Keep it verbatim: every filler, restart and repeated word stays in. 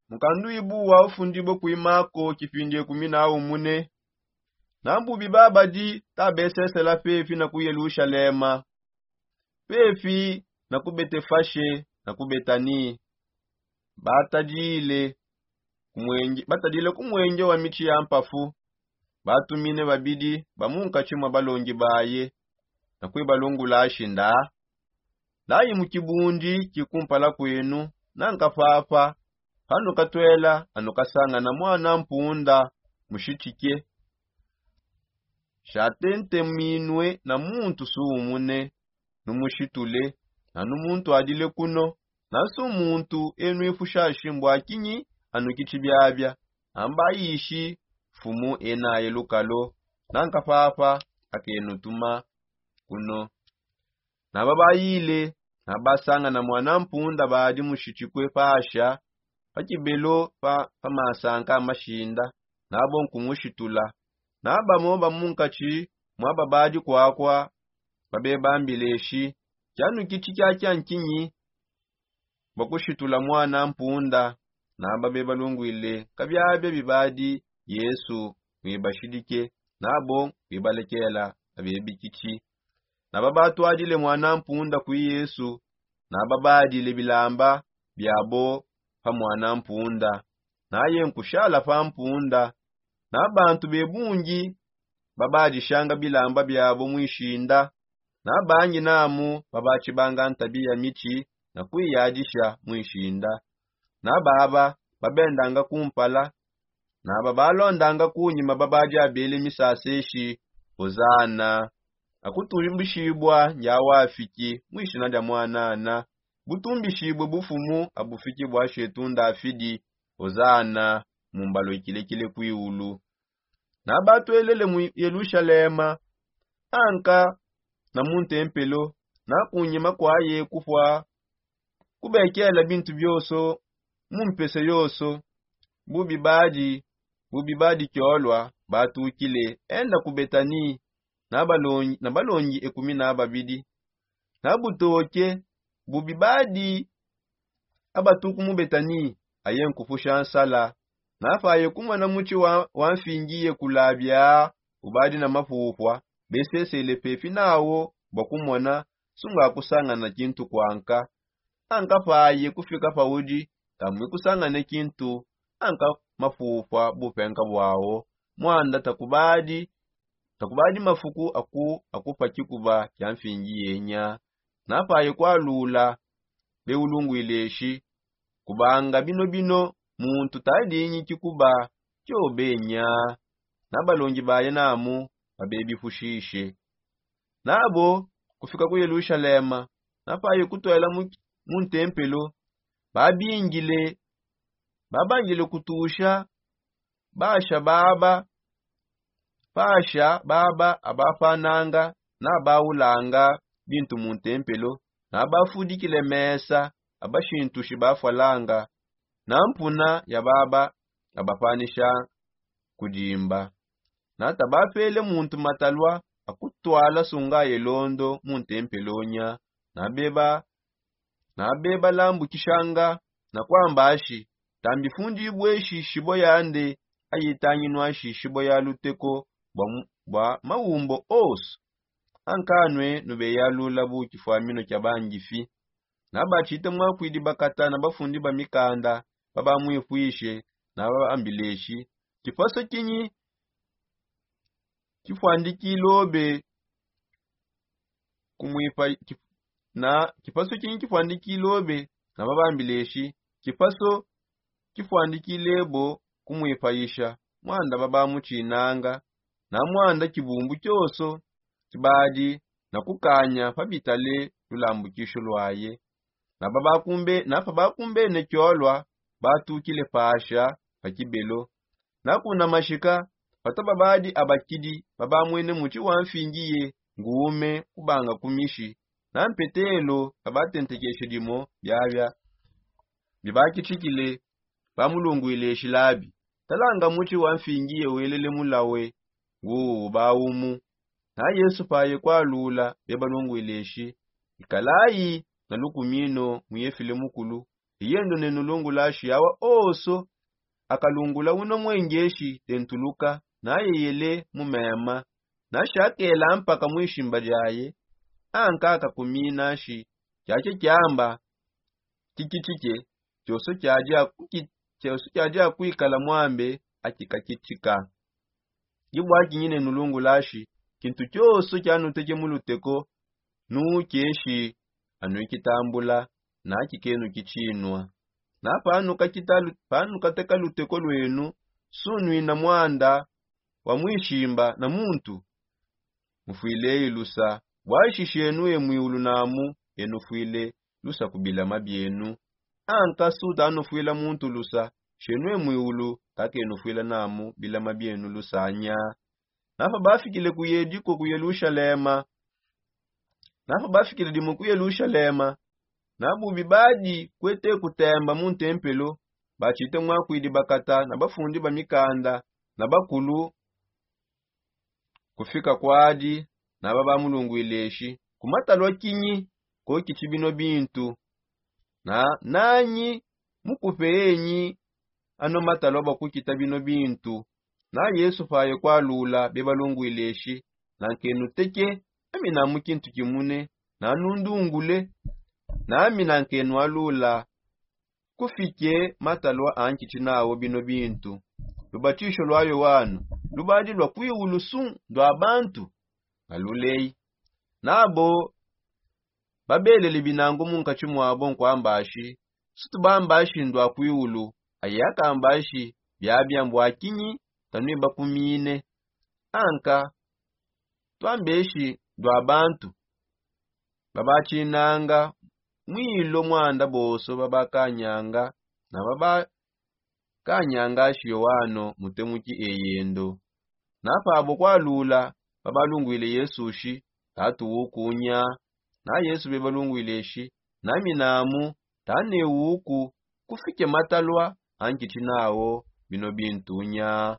Mukanduibu wa ufundibue kuimako kipindi ekumi na umune. Na bubi babadi tabesesela pepi na ku yelushalema, pepi na ku betefashe na ku betani. Batadile ku mwenge batadile ku mwenge wa mitshi ya mpafu. Batumine babidi ba mu nkatshi mwa balongi baye na kuibalungula ashinda, layi mu kibundi kikumpala kwenu, nanka papa panu katwela anu kasangana mwana mpunda, mushitike. Shatenteminwe na muntu sumune, numushitule. Nanu muntu adile kuno, nansu muntu enwifushashi mbua kinyi anu kitshi biabia. Amba ayishi mfumu enaye lukalo, nanka papa akenutuma kuno. Naba bayile, naba basangana mwana mpunda badi mushitikue pasha pa kibelo pa masanka a mashinda, nabo nkumushitula. Nabamo ba mu nkatshi mwaba badi kwakwa babebambile eshi, kianu kitshi kiakia nkinyi? Bakushitula mwana mpunda. Naba bebalungwile kabiabia bibadi yesu, mwibashidike nabo bibalekela abebikitshi. Naba batwadile mwana mpunda kui yesu, naba badile bilamba biabo pa mwana mpunda. Naye nkushala pa mpunda. Na bantu bebungi babadishanga bilamba biabo muishinda. Na bangi namu babatshibanga ntabi ya mitshi na kuiyadisha muishinda. Na baba babendanga kumpala, naba balondanga kunyima babadi abele misasa eshi, ozana. Akutumbishibua ndi awafiki muishina dia mwanana. Butumbishibue bufumu abufiki bua shetu ndafidi, ozana. Mumbalo ikilekile kuiulu. Nabatwelele mu yelushalema, anka na mu ntempelo, na kunyima kuaye kupua kubekela bintu bionso mu mpese yonso. Bubi badi bubi badi kiolua batukile enda ku betani na balongi na balongi ekumi na babidi. Na butoke bubi badi abatuku mu betani, aye nkupusha nsala. Napaye kumona mutshi wa mfingiye kulabia ubadi na mapupua, besesele pepi nawo bua kumona sunga akusangana kintu kuanka. Anka paye kufika paudi kamue kusangane kintu, anka mapupua bupenka buawo. Muanda takubadi takubadi mafuku aku akupa kikuba kia mfingi yenya. Napaye kualula beulungwile eshi, kubanga binobino muntu tadingi kikuba kiobenya. Na balongi baye namu babebipushishe. Nabo kufika ku yelushalema, napaye kutwela mu ntempelo, babingile babangile kutusha basha baba pasha baba abapananga na baulanga bintu mu ntempelo, na bafudikile mesa abashintushi bafualanga na mpuna ya baba abapanisha kudimba. Na tabapele muntu matalua akutwala sungaye londo mu ntempelo nya. Na beba na bebalambukishanga na kuamba ashi, tambifundibue shishibo yande, ayitanginua shishibo ya luteko bua maumbo onso. Ankanue nubeyalula bu kifuamino kia bangifi. Na batshite muakuidi bakata na bafundi ba mikanda babamwipuishe, na babambile eshi, kipaso kinyi kifuandikilobe kumuipa na kipaso kinyi kifuandikilobe? Na babambile eshi, kipaso kifuandikilebo kumuipayisha. Muanda babamutshinganga na muanda kibumbu kionso kibadi na kukanya pabitale lulambukisho luaye. Na pabakumbene kiolua batukile pasha pa kibelo. Na kuna mashika pata babadi abakidi babamwene mutshi wa mfingiye nguume kubanga ku mishi. Na mpetelo pabatentekeshe dimo biabia bibakitshikile, bamulungwile shilabi, talanga mutshi wa mfingiye welele mulawe nguuwu bawumu. Na yesu paye kualula bebalungwile eshi, ikalayi na lukumino muyefile mukulu. Eyendo nenu lungulashi awa oso akalungula uno mwengeshi dentuluka nayeyele mu mema, nashi akela mpaka mwishimba diaye. Anka akakuminashi kyakye kyamba kikitike, kyoso kyadi akuikala mwambe akikakitika. Dibwakinyi nenu lungulashi kintu kyoso kyanuteke mu luteko, nukyeshi anuikitambula na kikenu kitshinua. Na panukateka luteko lwenu, sunwina mwanda wa mwishimba na muntu mufwileyi lusa. Bwashi shenu e mwiulu namu enufwile lusa ku bilama byenu. Anka sutanufwila muntu lusa, shenu e mwiulu takenufwila namu bilama byenu lusanya. Napa bafikile ku yediko ku yelushalema napa bafikile dimu ku yelushalema, na bubi badi kwete kutemba mu ntempelo, batshite mwakwidi bakata na bafundi ba mikanda na bakulu kufika kwadi, naba bamulungwile eshi, ku matalua kinyi kokitshi bino bintu? Na nanyi mukupe enyi ano matalua bua kukita bino bintu? Na yesu paye kualula bebalungwile eshi, nankenuteke ami namu kintu kimune, nanundungule nami nankenualula kufike matalua ankitshi nawo bino bintu. Lubatisho lua yoano lubadi lua kuiwulu su ndua bantu? Aluleyi. Nabo babelele binangu munkatshi muabo nkuambashi, situbambashi ndua kuiwulu, aye akambashi biabia mbua kinyi tanuibakumine? Anka tuambeshi ndua bantu babatshinanga mwilo mwanda bonso babakanyanga na babakanyanga shi yoano mutemuki eyendo. Na pabo kualula babalungwile yesu shi, tatu wukunya. Na yesu bebalungwile shi, nami namu tane wuku kufike matalua ankitshi nawo bino bintunya.